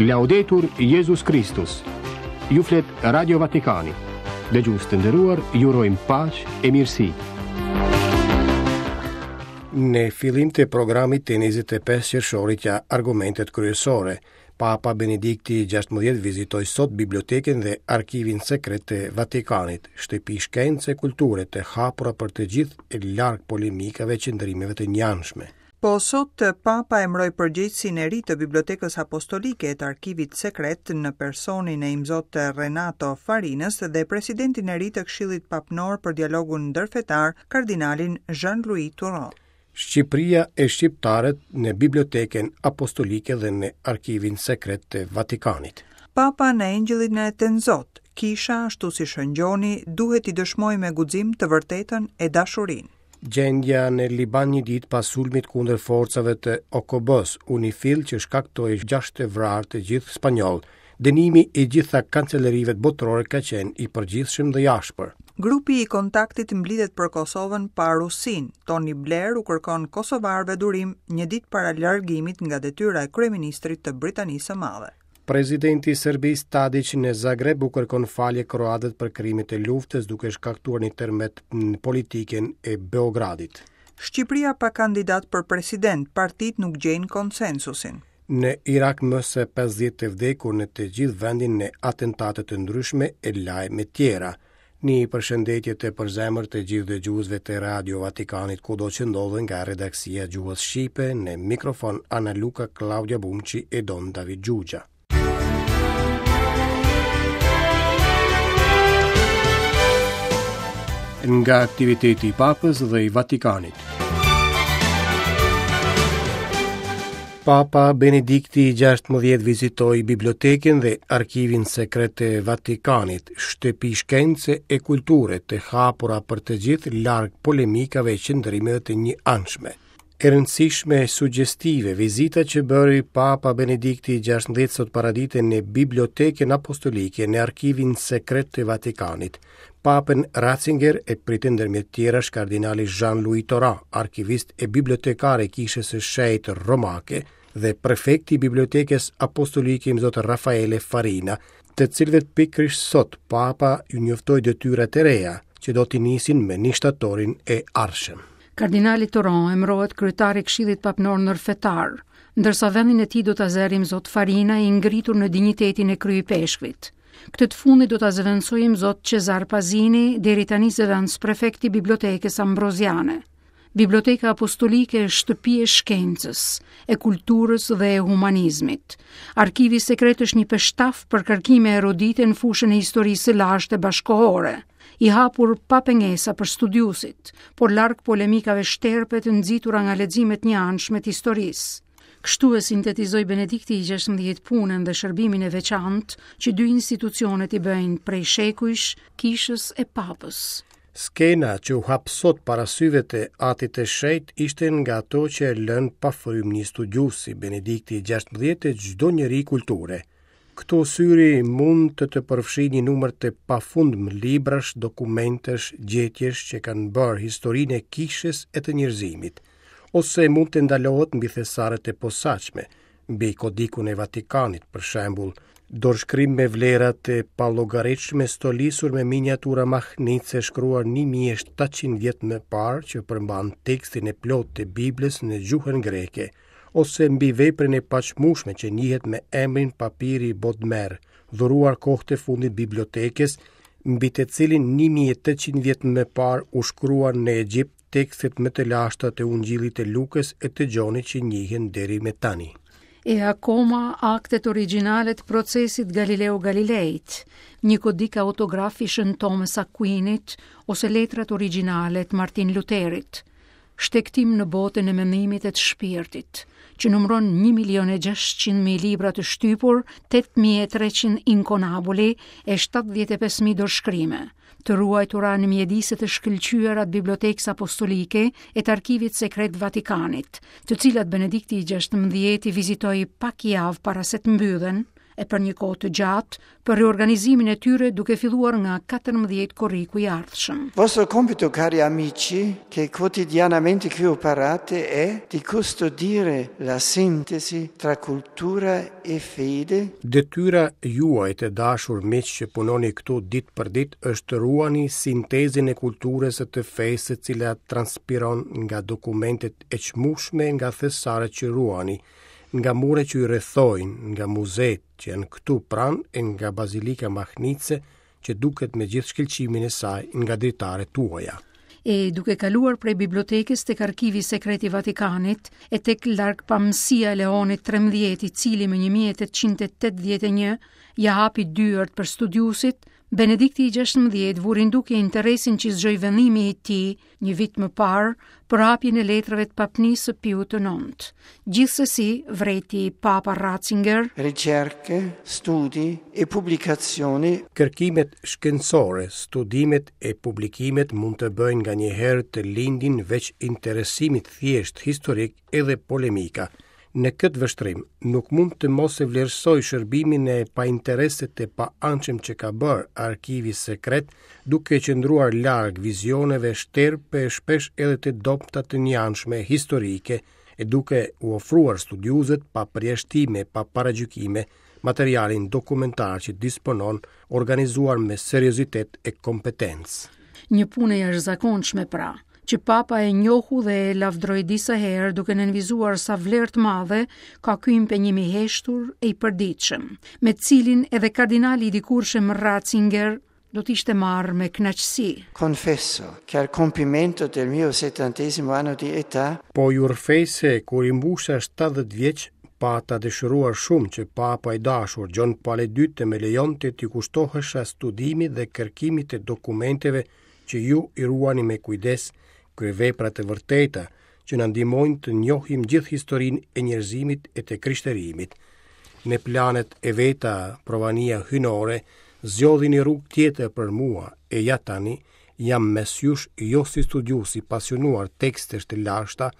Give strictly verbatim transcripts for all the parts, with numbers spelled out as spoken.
Laudetur Jezus Kristus. Ju flet Radio Vatikani. Dëgjues të nderuar, ju urojmë paqe e mirësi. Në fillim të programit të njëzet e pesë qershorit ja argumentet kryesore. Papa Benedikti gjashtëmbëdhjetë vizitoi sot bibliotekën dhe arkivin sekret të Vatikanit, shtëpi shkence e kulture të hapura për të gjithë e larg polemikave e qëndrimeve të njanshme. Po sot Papa emëroi përgjegjësin e ri të Bibliotekës Apostolike e të Arkivit Sekret në personin e Imzot Renato Farinës dhe presidentin e ri të Këshillit Papnor për Dialogun Ndërfetar, kardinalin Jean-Louis Tauran. Shqipëria e shqiptarët në Bibliotekën Apostolike dhe në Arkivin Sekret të Vatikanit. Papa në Engjëllin e Tenzot, kisha ashtu si Shën Gjoni duhet t'i dëshmojë me guxim të vërtetën e dashurinë. Gjendja në Liban një ditë pas sulmit kundër forcave të O K B-s, UNIFIL që shkaktoi gjashtë vrarë të gjithë spanjoll. Dënimi i gjitha kancelerive botërore ka qenë i përgjithshëm dhe i ashpër. Grupi i kontaktit mblidhet për Kosovën pa Rusinë. Tony Blair u kërkon kosovarëve durim një ditë para largimit nga detyra e kryeministrit të Britanisë së Madhe. Presidenti i Serbisë Tadić në Zagreb u kërkon falje kroatët për krimet e luftës duke shkaktuar një tërmet në politikën e Beogradit. Shqipëria pa kandidat për president, partitë nuk gjejnë konsensusin. Në Irak më se pesëdhjetë të vdekur në të gjithë vendin në atentate të ndryshme e lajme tjera. Një përshëndetje të përzemër të gjithë dëgjuesve të Radio Vatikanit kudo që ndodhen nga redaksia Gjuhës Shqipe, në mikrofon Ana Luka, Claudia Bumçi e Don David Gjugja. Nga aktiviteti i Papës dhe i Vatikanit. Papa Benedikti i gjashtëmbëdhjetë vizitoi bibliotekën dhe arkivin sekret të Vatikanit, shtëpi shkence e kulture të hapura për të gjithë larg polemikave e qëndrimeve të njëanshme. E rëndësishme e sugjestive vizita që bëri Papa Benedikti i gjashtëmbëdhjetë sot paradite në Bibliotekën Apostolike në arkivin sekret të Vatikanit. Papën Ratzinger e pritën ndërmjet tjerash kardinali Jean-Louis Tauran, arkivist e bibliotekar e Kishës së Shenjtë Romake dhe prefekti i Bibliotekës Apostolike Imzot Raffaele Farina, të cilëve pikërisht sot Papa ju njoftoi detyrat e reja që do t'i nisin me një shtatorin e ardhshëm. Kardinali Tauran emërohet kryetar i Këshillit Papnor Ndërfetar, ndërsa vendin e tij do ta zërë Imzot Farina i ngritur në dinjitetin e kryepeshkvit. Këtë të fundit do ta zëvendësojë Imzot Cesar Pazini, deri tani zëvendës prefekti i Bibliotekës Ambroziane. Biblioteka Apostolike është shtëpi e shkencës, e kulturës dhe e humanizmit. Arkivi sekret është një peshtaf për kërkime erudite në fushën e historisë së lashtë e bashkohore, i hapur pa pengesa për studiuesit, por larg polemikave shterpe të nxitura nga leximet njëanshme të historisë. Kështu e sintetizoi Benedikti i gjashtëmbëdhjetë punën dhe shërbimin e veçantë që dy institucionet i bëjnë prej shekujsh, kishës e papës. Skena që u hap sot para syve të Atit të Shenjtë ishte nga ato që e lënë pa frymë një studiues si Benedikti i gjashtëmbëdhjetë e çdo njeri kulture. Këto syri mund të të përfshijë një numër të pafundmë librash, dokumentesh, gjetjesh që kanë bërë historinë e kishës e të njerëzimit, ose mund të ndalohet mbi thesaret e posaçme, mbi kodikun e Vatikanit, për shembull, dorëshkrim me vlera të pallogaritshme stolisur me miniatura mahnice shkruar një mijë e shtatëqind vjet më parë që përmban tekstin e plotë të Biblës në gjuhën greke, ose mbi veprën e paqmueshme që njihet me emrin Papiri Bodmer, dhuruar kohët e fundit bibliotekës, mbi të cilin një mijë e tetëqind vjet më parë u shkruan në Egjipt tekstet më të lashta të Ungjillit të Lukës e të Gjonit që njihen deri me tani. E akoma aktet origjinale të procesit Galileo Galileit, një kodik autograf i Shën Thomas Aquinit ose letrat origjinale të Martin Lutherit, shtektim në botën e mendimit e të shpirtit, që numëron një milion e gjashtëqind mijë libra të shtypur, tetë mijë e treqind inkonabuli e shtatëdhjetë e pesë mijë dorëshkrime, të ruajtura në mjedise të shkëlqyera të Bibliotekës Apostolike e të Arkivit Sekret Vatikanit, të cilat Benedikti i gjashtëmbëdhjetë i vizitoi pak javë para se të mbyllen, e për një kohë të gjatë për riorganizimin e tyre duke filluar nga katërmbëdhjetë korriku i ardhshëm. Vostro compito, cari amici, che quotidianamente qui operate, è di custodire la sintesi tra cultura e fede. Detyra juaj të dashur miq që punoni këtu ditë për ditë është të ruani sintezën e kulturës e të fesë e cila transpiron nga dokumentet e çmueshme, nga thesaret që ruani, nga muret që i rrethojnë, nga muzeet që janë këtu pranë e nga bazilika mahnitëse që duket me gjithë shkëlqimin e saj nga dritaret tuaja. E duke kaluar prej bibliotekës tek arkivi sekret i Vatikanit e tek largpamësia e Leonit trembëdhjetë, i cili më një mijë e tetëqind e tetëdhjetë e një ja hapi dyert për studiuesit, Benedikti i gjashtëmbëdhjetë vuri në dukje interesin që zgjoi vendimi i tij një vit më parë për hapjen e letrave të papnisë së Piut të Nëntë. Gjithsesi, vrejti Papa Ratzinger, ricerche, studi e pubblicazioni. Kërkimet shkencore, studimet e publikimet mund të bëjnë nganjëherë të lindin veç interesimit thjesht historik edhe polemika. Në këtë vështrim, nuk mund të mos e vlerësoj shërbimin e painteresit e paanshëm që ka bërë arkivi sekret, duke qëndruar larg vizioneve shterpe shpesh edhe të dobëta të njanshme historike, e duke u ofruar studiuesit pa përjashtime, pa paragjykime, materialin dokumentar që disponon, organizuar me seriozitet e kompetencë. Një punë e jashtëzakonshme pra, që Papa e njohu dhe e lavdroi disa herë duke nënvizuar sa vlerë të madhe ka ky impenjim i heshtur e i përditshëm, me të cilin edhe kardinali i dikurshëm Ratzinger do të ishte marrë me kënaqësi. Confesso che al compimento del mio settantesimo anno di età, Po ju rrëfej se kur i mbusha shtatëdhjetë vjeç, pata dëshiruar shumë që Papa i dashur Gjon Pali i dytë të më lejonte t'i kushtohesha studimit dhe kërkimit të dokumenteve që ju i ruani me kujdes, kryevepra të vërteta që na ndihmojnë të njohim gjithë historinë e njerëzimit e të krishterimit. Në planet e veta provania hynore zgjodhi një rrugë tjetër për mua e ja tani jam mes jush jo si studiues i pasionuar tekstesh të lashta,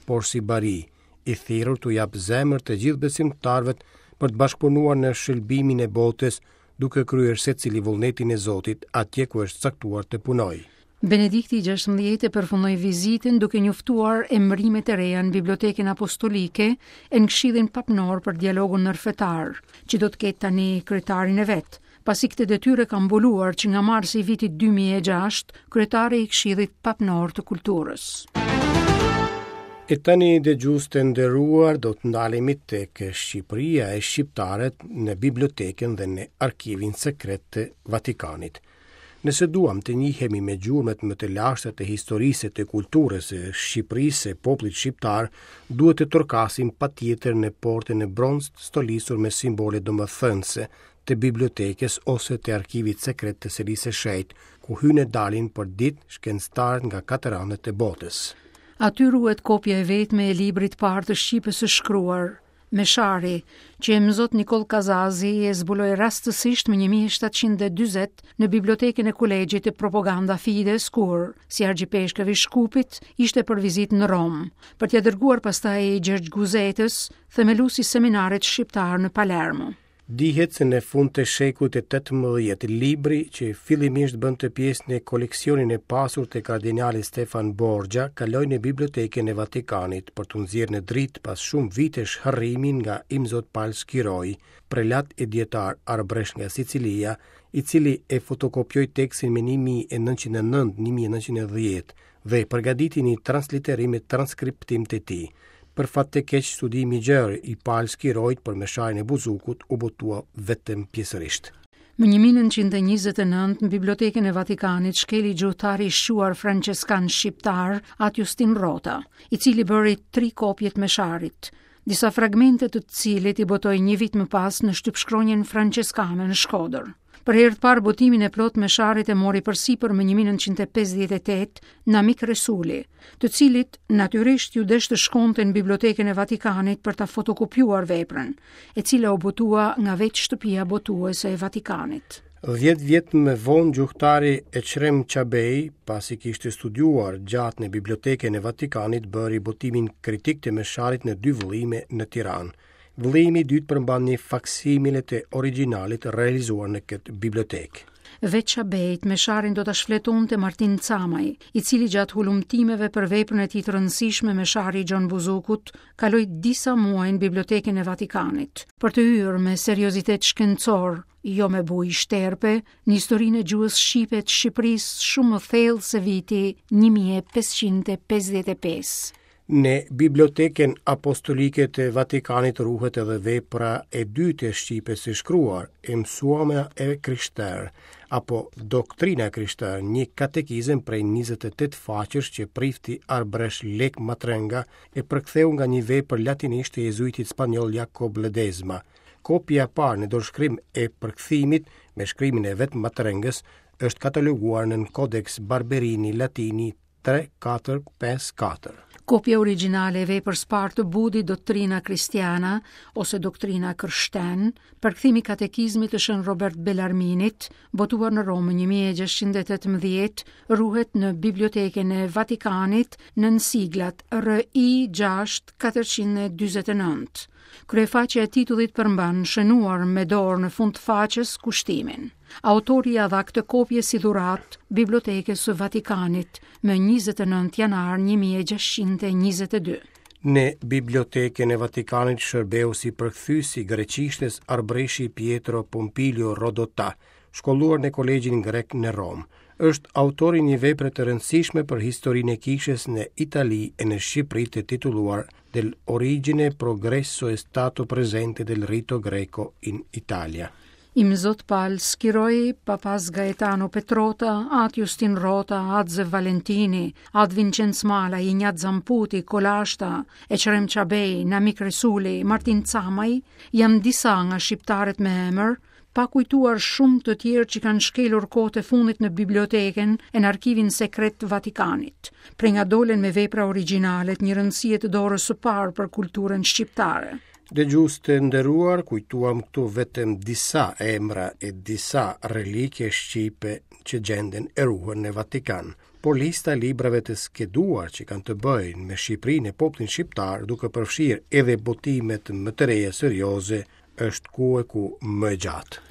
por si bari, i thirrur t'u jap zemër të gjithë besimtarëve për të bashkëpunuar në shëlbimin e botës, duke kryer secili vullnetin e Zotit atje ku është caktuar të punojë. Benedikti i gjashtëmbëdhjetë e përfundoi vizitën duke njoftuar emërimet e reja në Bibliotekën Apostolike e në Këshillin Papnor për dialogun ndërfetar, që do të ketë tani kryetarin e vet, pasi këtë detyrë ka mbuluar që nga marsi i vitit dy mijë e gjashtë kryetari i Këshillit Papnor të Kulturës. E tani dëgjues të nderuar, do të ndalemi tek Shqipëria e shqiptarët në bibliotekën dhe në arkivin sekret të Vatikanit. Nëse duam të njihemi me gjurmët më të lashta të historisë e të kulturës së Shqipërisë e popullit shqiptar, duhet të torkasim patjetër në portën e bronztë stolisur me simbole domethënëse të bibliotekës ose të arkivit sekret të Selisë së Shenjtë, ku hynë e dalin për ditë shkencëtarët nga katër anët e botës. Aty ruhet kopja e vetme e librit parë të shqipes së shkruar, Meshari, që e mëzot Nikoll Kazazi e zbuloi rastësisht më një mijë e shtatëqind e dyzet në bibliotekën e Kolegjit të Propaganda Fides, kur, si argjipeshkëv i Shkupit, ishte për vizitë në Romë, për t'ia dërguar pastaj Gjergj Guzetës, themeluesi i seminarit shqiptar në Palermo. Dihet se në fund të shekullit të tetëmbëdhjetë, libri që fillimisht bënte pjesë në koleksionin e pasur të kardinalit Stefan Borgia, kaloi në bibliotekën e Vatikanit për t'u nxjerrë në dritë pas shumë vitesh harrimin nga Imzot Pal Skiroi, prelat e dietar arbresh nga Sicilia, i cili e fotokopjoi tekstin më një mijë e nëntëqind e nëntë, një mijë e nëntëqind e dhjetë dhe përgatiti një transliterim e transkriptim të tij. Për fat të keq, studimi i gjerë i Pal Skiroit për mesharin e Buzukut u botua vetëm pjesërisht. Më një mijë e nëntëqind e njëzet e nëntë, në Bibliotekën e Vatikanit shkeli gjuhtari i shquar franceskan shqiptar At Justin Rota, i cili bëri tri kopje të mesharit, disa fragmente të cilit i botoi një vit më pas në shtypshkronjën franceskane në Shkodër. Për herë të parë botimin e plot mesharit e mori përsipër më një mijë e nëntëqind e pesëdhjetë e tetë Namik Resuli, të cilit natyrisht ju desh të shkonte në Bibliotekën e Vatikanit për ta fotokopjuar veprën, e cila u botua nga vetë shtëpia botuese e Vatikanit. Dhjetë vjet më vonë gjuhtari Eqrem Çabej, pasi kishte studiuar gjatë në Bibliotekën e Vatikanit, bëri botimin kritik të mesharit në dy vëllime në Tiranë. Vëllimi i dytë përmban një faksimile të origjinalit realizuar në këtë bibliotekë. Veç Çabejt, Mesharin do ta shfletonte Martin Camaj, i cili gjatë hulumtimeve për veprën e tij të rëndësishme Meshari i Gjon Buzukut, kaloi disa muaj në Bibliotekën e Vatikanit, për të hyrë me seriozitet shkencor, jo me bujë shterpe, në historinë e gjuhës shqipe të Shqipërisë shumë më thellë se viti një mijë e pesëqind e pesëdhjetë e pesë. Në Bibliotekën Apostolike të Vatikanit ruhet edhe vepra e dytë e shqipes së shkruar, e mësuamja e krishterë, apo doktrina e krishterë, një katekizëm prej njëzet e tetë faqesh që prifti Arbresh Lek Matrënga e përktheu nga një vepër latinisht e jezuitit spanjoll Jacob Ledesma. Kopja e parë në dorëshkrim e përkthimit me shkrimin e vetë Matrëngës është kataloguar në Codex Barberini Latini tre katër pesë katër. Kopja origjinale e veprës parë të Budit, Doktrina Cristiana ose Doktrina Kërshten, përkthimi i katekizmit të Shën Robert Bellarminit, botuar në Romë një mijë e gjashtëqind e tetëmbëdhjetë, ruhet në Bibliotekën e Vatikanit nën siglat R I gjashtë katërqind e dyzet e nëntë. Kryefaqja e titullit përmban shënuar me dorë në fund të faqes kushtimin. Autori ia dha këtë kopje si dhuratë Bibliotekës së Vatikanit më njëzet e nëntë janar një mijë e gjashtëqind e njëzet e dy. Në Bibliotekën e Vatikanit shërbeu si përkthyes i greqishtes Arbreshi Pietro Pompilio Rodota, shkolluar në Kolegjin Grek në Romë. Është autori një vepre të rëndësishme për historinë e kishës në Itali e në Shqipëri të titulluar Del origine progresso e stato presente del rito greco in Italia. Imzot Pal Skiroi, Papas Gaetano Petrota, At Justin Rota, At Zef Valentini, At Vincenz Mala, Ignat Zamputi, Kolashta, Eqrem Çabej, Namik Resuli, Martin Camaj, janë disa nga shqiptarët me emër, pa kujtuar shumë të tjerë që kanë shkelur kohët e fundit në bibliotekën e në arkivin sekret të Vatikanit, prej nga dolën me vepra origjinale të një rëndësie të dorës së parë për kulturën shqiptare. Dëgjues të nderuar, kujtuam këtu vetëm disa emra e disa relike shqipe që gjenden e ruhen në Vatikan, por lista e librave të skeduar që kanë të bëjnë me Shqipërinë e popullin shqiptar, duke përfshirë edhe botimet më të reja serioze, është ku e ku më e gjatë.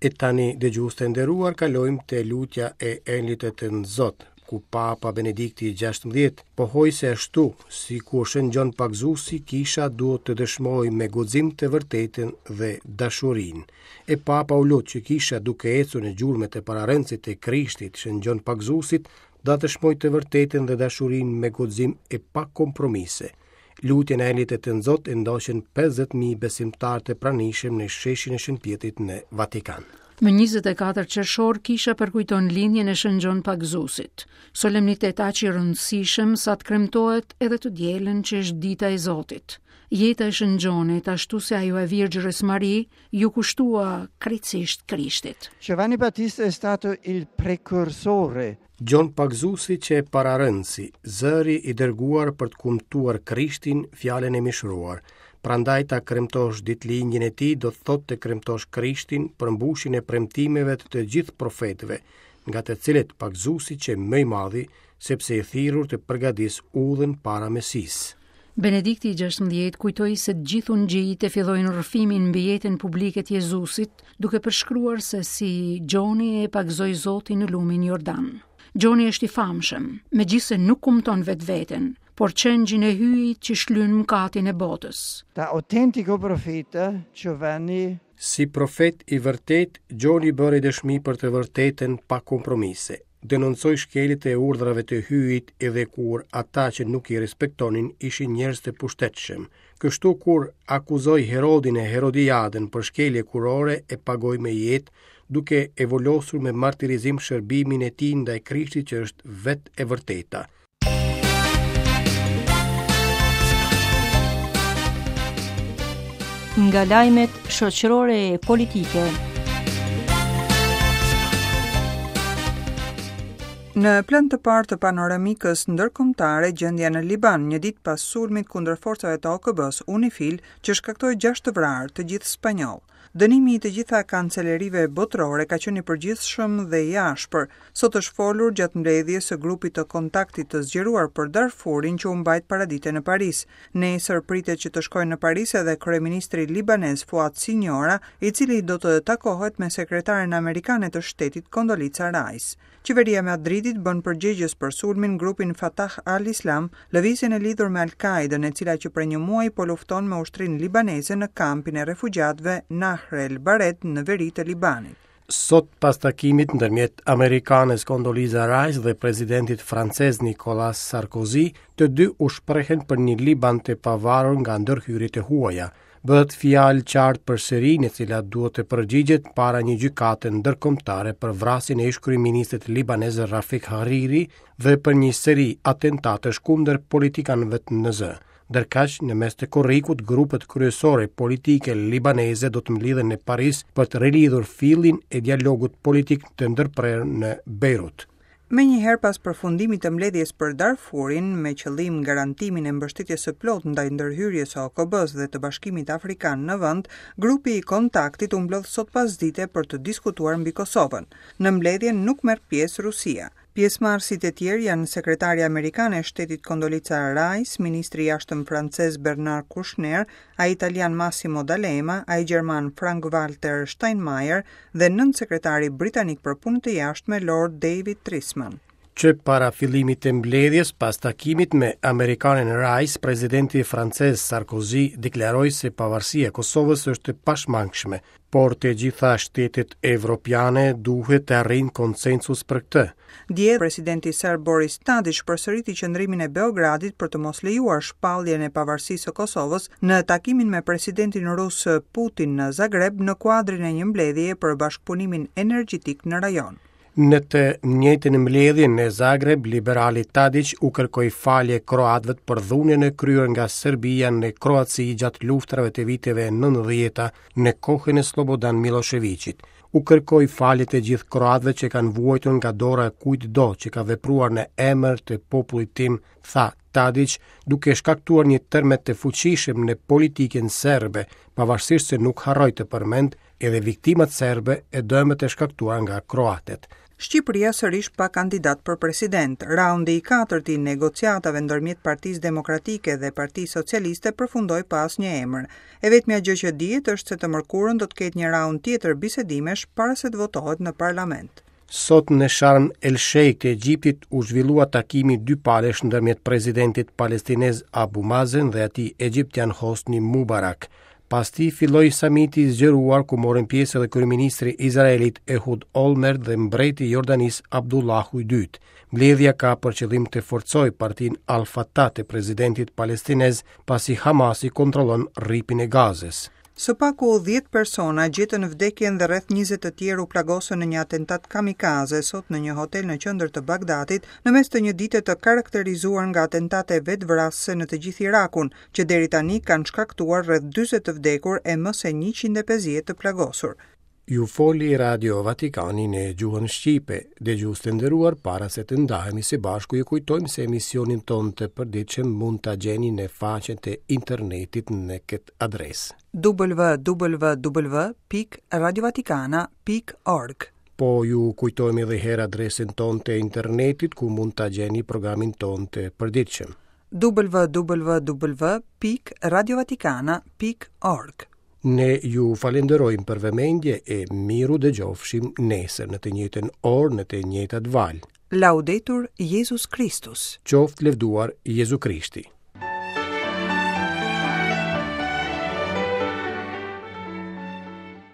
E tani, dëgjues të nderuar, kalojmë te lutja e Enlit të Tënzot, ku Papa Benedikti i gjashtëmbëdhjetë pohoi se ashtu si kur Shën Gjon Pagëzuesi, kisha duhet të dëshmojë me guxim të vërtetën dhe dashurinë. E Papa u lut që kisha duke ecur në gjurmët e pararendësit të Krishtit, Shën Gjon Pagëzuesit, do të dëshmojë të vërtetën dhe dashurinë me guxim e pa kompromise. Lutjen e Enlit të Tënzot e ndoqën pesëdhjetë mijë besimtarë të pranishëm në sheshin e Shën Pjetrit në Vatikan. Më njëzet e katër qershor kisha përkujton lindjen e Shën Gjon Pagëzuesit. Solemnitet aq i rëndësishëm sa të kremtohet edhe të dielën që është dita e Zotit. Jeta e Shën Gjonit, ashtu si ajo e Virgjërës Mari, ju kushtua krejtësisht Krishtit. Giovanni Battista è stato il precursore. Gjon Pagëzuesi që e pararëndësi, zëri i dërguar për të kumtuar Krishtin, fjalën e mishruar. Prandaj ta kremtosh ditëlindjen e tij do të thotë të kremtosh Krishtin, përmbushjen e premtimeve të të gjithë profetëve, nga të cilët Pagëzuesi që më i madhi, sepse i thirrur të përgatis udhën para Mesisë. Benedikti i gjashtëmbëdhjetë kujtoi se të gjithë ungjijtë e fillojnë rrëfimin mbi jetën publike të Jezusit, duke përshkruar se si Gjoni e pagëzoi Zotin në lumin Jordan. Gjoni është i famshëm, megjithse nuk kumton vetveten, por qengjin e hyjit që shlyn mëkatin e botës. Da autentico profeta Giovanni. Si profet i vërtet, Gjoni bëri dëshmi për të vërtetën pa kompromise. Denoncoi shkeljet e urdhrave të hyjit edhe kur ata që nuk i respektonin ishin njerëz të pushtetshëm. Kështu kur akuzoi Herodin e Herodiadën për shkelje kurore e pagoi me jetë, duke e volosur me martirizim shërbimin e tij ndaj Krishtit që është vetë e vërteta. Nga lajmet shoqërore e politike. Në plan të parë të panoramikës ndërkombëtare, gjendja në Liban, një ditë pas sulmit kundër forcave të O K B-s UNIFIL, që shkaktoi gjashtë të vrarë, të gjithë spanjoll. Dënimi i të gjitha kancelerive botërore ka qenë i përgjithshëm dhe i ashpër. Sot është folur gjatë mbledhjes së grupit të kontaktit të zgjeruar për Darfurin që u mbajt paradite në Paris. Nesër pritet që të shkojë në Paris edhe kryeministri libanez Fuad Siniora, i cili do të takohet me sekretaren amerikane të shtetit Condoleezza Rice. Qeveria e Madridit bën përgjegjës për sulmin grupin Fatah al-Islam, lëvizjen e lidhur me Al-Qaedën, e cila që prej një muaji po lufton me ushtrinë libaneze në kampin e refugjatëve Nahr el-Bared në veri të Libanit. Sot pas takimit ndërmjet amerikanës Condoleezza Rice dhe presidentit francez Nicolas Sarkozy, të dy u shprehen për një Liban të pavarur nga ndërhyrjet e huaja. Bëhet fjalë qartë për Sirinë, e cila duhet të përgjigjet para një gjykate ndërkombëtare për vrasjen e ish-kryeministrit libanez Rafik Hariri dhe për një seri atentatesh kundër politikanëve në zë. Ndërkaq, në mes të korrikut, grupet kryesore politike libaneze do të mblidhen në Paris për të rilidhur fillin e dialogut politik të ndërprerë në Beirut. Menjëherë pas përfundimit të mbledhjes për Darfurin, me qëllim garantimin e mbështetjes së plotë ndaj ndërhyrjes së O K B-s dhe të Bashkimit Afrikan në vend, grupi i kontaktit u mblodh sot pasdite për të diskutuar mbi Kosovën. Në mbledhje nuk merr pjesë Rusia. Pjesëmarrësit e tjerë janë sekretarja amerikane e shtetit Condoleezza Rice, ministri i jashtëm francez Bernard Kouchner, ai italian Massimo D'Alema, ai gjerman Frank-Walter Steinmeier dhe nënsekretari britanik për punët e jashtme Lord David Trisman. Që para fillimit të mbledhjes, pas takimit me amerikanen Rice, presidenti francez Sarkozy deklaroi se pavarësia e Kosovës është e pashmangshme, por të gjitha shtetet evropiane duhet të arrijnë konsensus për këtë. Dje, presidenti serb Boris Tadić përsëriti qëndrimin e Beogradit për të mos lejuar shpalljen e pavarësisë së Kosovës në takimin me presidentin rus Putin në Zagreb në kuadrin e një mbledhjeje për bashkëpunimin energjetik në rajon. Në të njëjtën mbledhje në Zagreb, liberali Tadić u kërkoi falje kroatëve për dhunën e kryer nga Serbia në Kroaci gjatë luftërave të viteve nëntëdhjeta në kohën e Slobodan Miloševićit. U kërkoi falje të gjithë kroatëve që kanë vuajtur nga dora e kujtdo që ka vepruar në emër të popullit tim, tha Tadić, duke shkaktuar një tërmet të fuqishëm në politikën serbe, pavarësisht se nuk harroi të përmend edhe viktimat serbe e dëmet e shkaktuara nga kroatët. Shqipëria sërish pa kandidat për president. Raundi i katërt i negociatave ndërmjet Partisë Demokratike dhe Partisë Socialiste përfundoi pa asnjë emër. E vetmja gjë që dihet është se të mërkurën do të ketë një raund tjetër bisedimesh para se të votohet në parlament. Sot në Sharm el Sheikh të Egjiptit u zhvillua takimi dy palësh ndërmjet presidentit palestinez Abu Mazen dhe atij egjiptian Hosni Mubarak. Pas tij filloi samiti i zgjeruar ku morën pjesë edhe kryeministri izraelit Ehud Olmert dhe mbreti i Jordanisë Abdullahu i dytë. Mbledhja ka për qëllim të forcojë partinë Al-Fatah të presidentit palestinez, pasi Hamasi kontrollon rripin e Gazës. Së paku dhjetë persona gjetën vdekjen dhe rreth njëzet të tjerë u plagosën në një atentat kamikaze sot në një hotel në qendër të Bagdadit, në mes të një dite të karakterizuar nga atentate vetvrasëse në të gjithë Irakun, që deri tani kanë shkaktuar rreth dyzet të vdekur e më se njëqind e pesëdhjetë të plagosur. Ju foli Radio Vatikani në gjuhën shqipe. Dëgjues të nderuar, para se të ndahemi së bashku, ju kujtojmë se emisionin ton të përditshëm mund ta gjeni në faqen e internetit në këtë adresë: w w w pikë radio vatikana pikë org. Po ju kujtojmë edhe herë adresën tonë të internetit ku mund ta gjeni programin ton të përditshëm: w w w pikë radio vatikana pikë org. Ne ju falenderojmë për vëmendje e miru dëgjofshim nesër në të njëjtën orë në të njëjtat valë. Laudetur Jezus Kristus. Qoftë lëvduar Jezu Krishti.